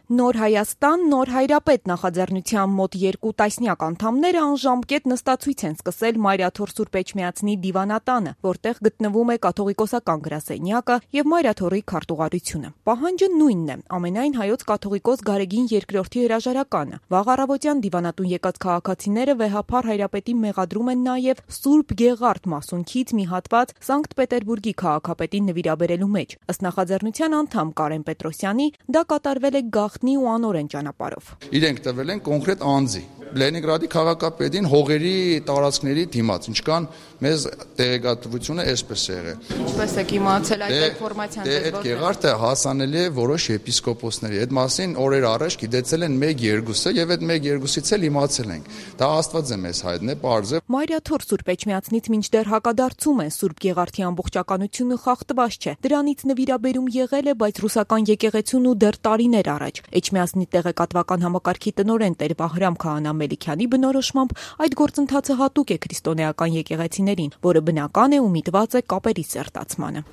Նոր Հայաստան, նոր Հայրապետ նախաձեռնության մոտ 2 տասնյակ անդամները անժամկետ նստացույց են սկսել Մայրաթոր Սուրբ Էջմիածնի դիվանատանը, որտեղ գտնվում է կաթողիկոսական գրասենյակը եւ Մայրաթորի քարտուղարությունը։ Պահանջը նույնն է՝ ամենայն հայոց կաթողիկոս Գարեգին II հրաժարականը։ Վաղ առավոտյան դիվանատուն եկած քաղաքացիները վեհափառ Հայրապետին մեղադրում են նաեւ Սուրբ Գեղարդ մասունքից մի հատված Սանկտ Պետերբուրգի քաղաքապետին նվիրաբերելու մեջ։ Ըստ նախաձեռնության անդամ Կարեն Պետրոսյանի, դա կատարվել է գաղտնի ու անօրեն ճանապարհով։ Իրենք տվել են կոնկրետ անձի Լենինգրադի քաղաքապետին հողերի տարածքների դիմաց, ինչքան մեզ տեղեկատվությունը այսպես է եղել։ Ինչպես եք իմացել այդ ինֆորմացիան ձեզ Այդ Գեղարդը հասանելի է որոշ եպիսկոպոսների։ Այդ մասին օրեր առաջ գիտեցել են 1-2-ը եւ այդ 1-2-ից էլ իմացել ենք։ Դա Աստվածը մեզ հայտնի, պարզ է։ Մայրաթոր Սուրբ Էջմիածնից մինչդեռ հակադարձում են Սուրբ Գեղարդի ամբողջականությունը խախտված չէ։ Դրանից նվիրաբերում եղել է, բայց ռուսական եկեղեցուն ու դեռ տարիներ առաջ։ Էջմիածնի տեղեկատվական համակարգի տնօրեն Տեր Վահրամ Քահանա Մելիքյանի բնորոշմամբ այդ գործընթացը հատուկ է քրիստոնեական եկեղեցիներին, որը բնական է ու միտված է կապերի սերտացմանը։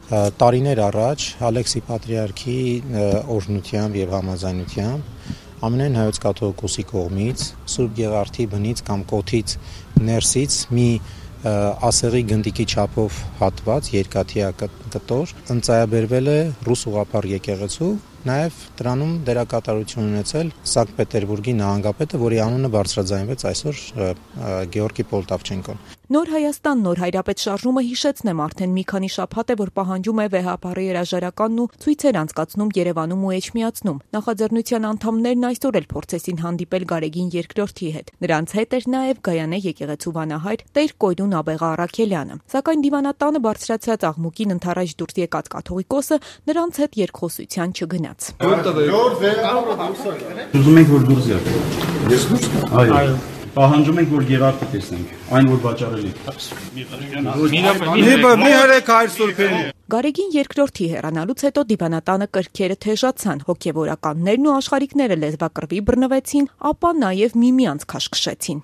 Տարիներ առաջ Ալեքսի Պատրիարքի օրհնությամբ եւ համաձայնությամբ ամենայն հայոց կաթողիկոսի կողմից Սուրբ Գեղարդի բնից կամ կոթից ներսից մի ասեղի գնդիկի չափով հատված երկաթյա կտոր ընծայաբերվել է ռուս ուղղափառ եկեղեցու, նաև դրանում դերակատարություն ունեցել Սանկտ Պետերբուրգի նահանգապետը, որի անունը բարձրաձայնվեց այսօր Գեորգի Պոլտավչենկոն։ Նոր Հայաստան, նոր Հայրապետ շարժումը հիշեցնեմ արդեն մի քանի շաբաթ է, որ պահանջում է վեհափառի հրաժարականն ու ցույցեր անցկացնում Երևանում ու Էջմիածնում։ Նախաձեռնության անդամներն այսօր էլ փորձեցին հանդիպել Գարեգին II-ի հետ։ Նրանց հետ էր նաև Գայանե եկեղեցու վանահայր Տեր Կոյրուն Աբեղա Առաքելյանը։ Սակայն դիվանատանը բարձրացած աղմուկին ընթരാճ դուրս եկած կաթողիկոսը նրանց հետ երկխոսության չգնաց։ Ուզում ենք որ դուրս գաք։ Ես դուրս գամ։ Այո։ Պահանջում ենք որ Գեղարդը տեսնենք, այն որ վաճառելի է։ Գարեգին II-ի հեռանալուց հետո դիվանատանը կրքերը թեժացան, հոգևորականներն ու աշխարհիկները լեզվակռվի բռնվեցին, ապա նաև միմյանց քաշքշեցին։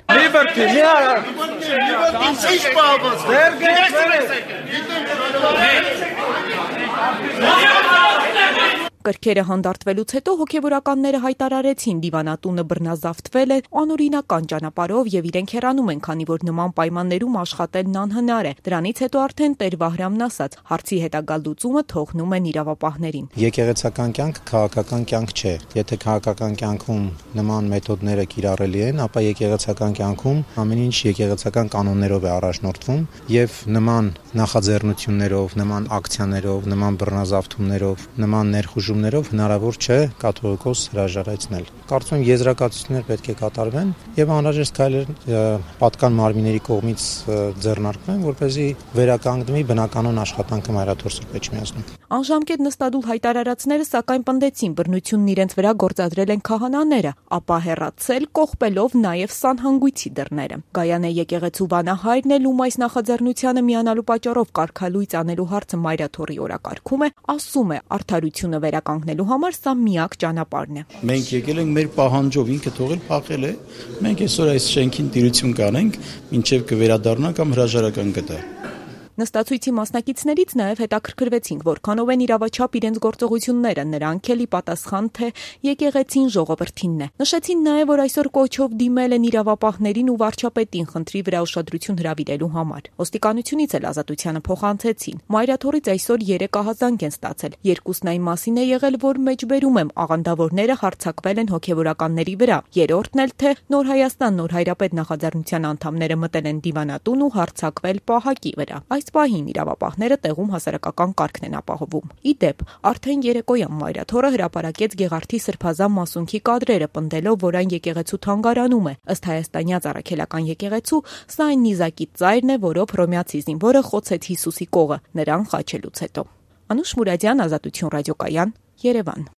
Կրքերը հանդարտվելուց հետո հոգևորականները հայտարարեցին դիվանատունը բռնազավթվել է անօրինական ճանապարհով եւ իրենք հեռանում են, քանի որ նման պայմաններում աշխատելն անհնար է։ Դրանից հետո արդեն Տեր Վահրամն ասաց, հարցի հետագա լուծումը թողնում են իրավապահներին։ Եկեղեցական կյանք քաղաքական կյանք չէ։ Եթե քաղաքական կյանքում նման մեթոդները կիրառելի են, ապա եկեղեցական կյանքում ամեն ինչ եկեղեցական կանոններով է առաջնորդվում եւ նման նախաձեռնություններով, նման ակցիաներով, նման բռնազավթումներով, նման ներխուժումներով հնարավոր չէ կաթողիկոս հրաժարեցնել։ Կարծում եմ եզրակացություններ պետք է կատարվեն եւ անհրաժեշտ քայլեր պատկան մարմինների կողմից ձեռնարկվեն, որպեսզի վերականգնվի բնականon աշխատանքը Մայրաթոր Սուրբ Էջմիածնում։ Անժամկետ նստադուլ հայտարարածները սակայն պնդեցին բռնությունն իրենց վրա գործադրել են քահանաները, ապա հեռացել կողպելով նաեւ սանհանգույցի դռները։ Գայանե եկեղեցու վանահայրն էլ ում այս նախաձեռնությանը միանալու պատճառով կարգալույծ անելու հարցը Մայրաթորի օրակարգում է, ասում է արդարությունը վերականգնելու համար սա միակ ճանապարհն է։ Մենք եկել ենք մեր պահանջով, ինքը թողել փախել է։ Մենք այսօր այս շենքին տիրություն կանենք, մինչև կվերադառնա կամ հրաժարական կտա։ Նստացույցի մասնակիցներից նաև հետաքրքրվեցինք, որքանով են իրավաչափ իրենց գործողությունները, նրանք էլ ի պատասխան թե եկեղեցին ժողովրդինն է։ Նշեցին նաև, որ այսօր կոչով դիմել են իրավապահներին ու վարչապետին խնդրի վրա ուշադրություն հրավիրելու համար։ Ոստիկանությունից էլ ազատությանը փոխանցեցին։ Մայրաթորից այսօր 3 ահազանգ են ստացել։ Երկուսն այն մասին է եղել, որ մեջբերում եմ աղանդավորները հարձակվել են հոգևորականների վրա։ Երրորդն էլ թե Նոր Հայաստան, նոր Հայրապետ նախաձեռնության անդամները մտել են դիվանատուն ու հարձակվել պահակի վրա։ Այս պահին իրավապահները տեղում հասարակական կարգն են ապահովում։ Ի դեպ, արդեն երեկոյան Մայրաթորը հրապարակեց Գեղարդի սրբազան մասունքի կադրերը, պնդելով, որ այն եկեղեցու թանգարանում է։ Ըստ հայաստանյաց առաքելական եկեղեցու, սա այն նիզակի ծայրն է, որով հռոմեացի զինվորը խոցեց Հիսուսի կողը, նրան խաչելուց հետո։ Անուշ Մուրադյան, Ազատություն ռադիոկայան, Երևան։